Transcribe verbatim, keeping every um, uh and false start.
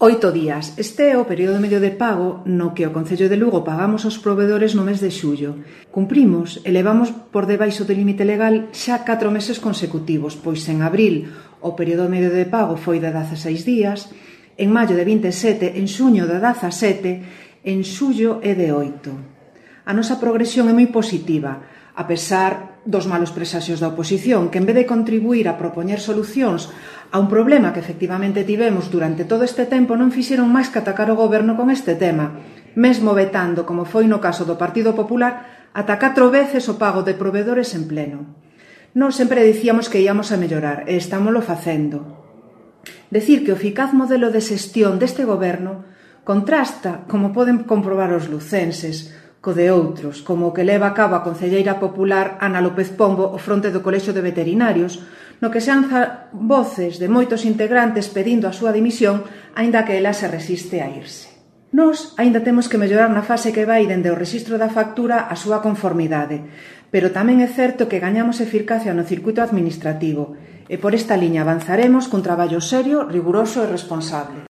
Oito días. Este é o período medio de pago no que o Concello de Lugo pagamos aos provedores no mes de xullo. Cumprimos e levamos por debaixo do límite legal xa catro meses consecutivos, pois en abril o período medio de pago foi de dezaseis días, en maio de vinte e sete, en xuño de dezasete, en xullo é de oito. A nosa progresión é moi positiva, a pesar dos malos presaxios da oposición, que en vez de contribuir a propoñer solucións a un problema que efectivamente tivemos durante todo este tempo, non fixeron máis que atacar o goberno con este tema, mesmo vetando, como foi no caso do Partido Popular, ata catro veces o pago de provedores en pleno. Nós sempre dicíamos que íamos a mellorar, e estámoslo facendo. Decir que o eficaz modelo de xestión deste goberno contrasta, como poden comprobar os lucenses, co de outros, como o que leva a cabo a concelleira popular Ana López Pombo ao fronte do Colexio de Veterinarios, no que se alza voces de moitos integrantes pedindo a súa dimisión, aínda que ela se resiste a irse. Nós aínda temos que mellorar na fase que vai dende o rexistro da factura a súa conformidade, pero tamén é certo que gañamos eficacia no circuito administrativo, e por esta liña avanzaremos cun traballo serio, riguroso e responsable.